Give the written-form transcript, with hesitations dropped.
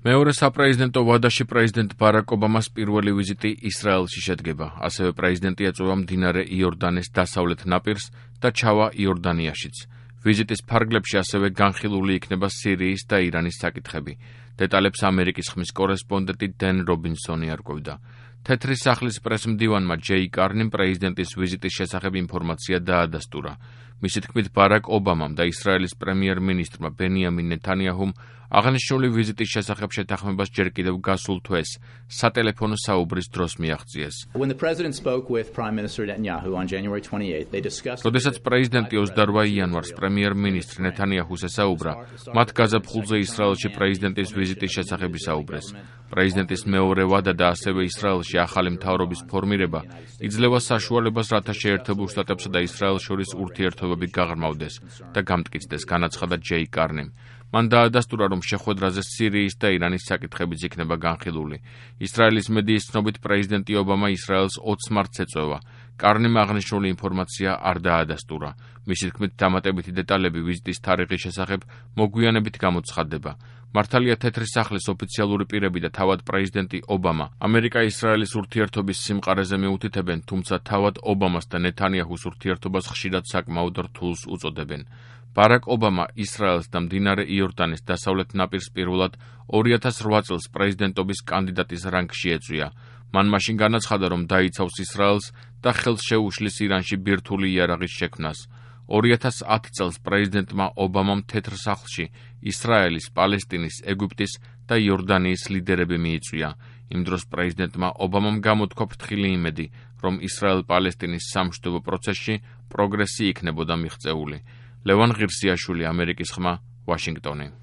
მეორე საპრეზიდენტო ვადაში პრეზიდენტ ბარაკ ობამას პირველი ვიზიტი ისრაელში შედგება. ასევე პრეზიდენტი ეწევა მდინარე იორდანეს დასავლეთ ნაპირს და ჩავა იორდანიაშიც. ვიზიტის ფარგლებში ასევე განხილული იქნება სირიის და ირანის საკითხები. დეტალებს ამერიკის ხმის კორესპონდენტი დენ რობინსონი არკვევდა. თეთრი სახლის პრესმდივანმა ჯეი კარნიმ პრეზიდენტის ვიზიტის შესახებ ინფორმაცია დაადასტურა. მისი თქმით, ბარაკ ობამამ და ისრაელის პრემიერ-მინისტრმა ბენიამინ ნეთანიაჰუმ აღნიშნული ვიზიტის შესახებ შეთანხმებას ჯერ კიდევ გასულ თვეს სატელეფონო საუბრის დროს მიაღწიეს. როდესაც პრეზიდენტი 28 იანვარს პრემიერ-მინისტრ ნეთანიაჰუს ესაუბრა, მათ გაზაფხულზე ისრაელში პრეზიდენტის ვიზიტის შესახებ ისაუბრეს. პრეზიდენტის მეორე ვადა და ასევე ისრაელში ახალი მთავრობის ფორმირება იძლევა საშუალებას, რათა შეერთებულ შტატებსა და ისრაელს შორის ურთიერთობები გაღრმავდეს და გამტკიცდეს, განაცხადა ჯეი კარნიმ. მან დაადასტურა, რომ შეხვედრაზე სირიის და ირანის საკითხებიც იქნება განხილული. ისრაელის მედიის ცნობით, პრეზიდენტი ობამა ისრაელს 20 მარტს ეწევა. კარნიმ აღნიშნული ინფორმაცია არ დაადასტურა. მისი თქმით, დამატებითი დეტალები ვიზიტის თარიღის შესახებ მოგვიანებით გამოცხადდება. მართალია თეთრი სახლის ოფიციალური პირები და თავად პრეზიდენტი ობამა ამერიკა-ისრაელის ურთიერთობის სიმყარეზე მიუთითებენ, თუმცა თავად ობამას და ნეთანიაჰუს ურთიერთობას ხშირად საკმაოდ რთულს უწოდებენ. ბარაკ ობამა ისრაელს და მდინარე იორდანის დასავლეთ ნაპირს პირველად 2008 წელს პრეზიდენტობის კანდიდატის რანგში ეწვია. მან მაშინ განაცხადა, რომ დაიცავს ისრაელს და ხელს შეუშლის ირანში ბირთვული იარაღის შექმნას. 2010 წელს პრეზიდენტმა ობამამ თეთრ სახლში ისრაელის, პალესტინის, ეგვიპტის და იორდანიის ლიდერები მიიწვია. იმ დროს პრეზიდენტმა ობამამ გამოთქვა ფრთხილი იმედი, რომ ისრაელ-პალესტინის სამშვიდობო პროცესში პროგრესი იქნებოდა მიღწეული. ლევან ღირსიაშვილი, ამერიკის ხმა, ვაშინგტონი.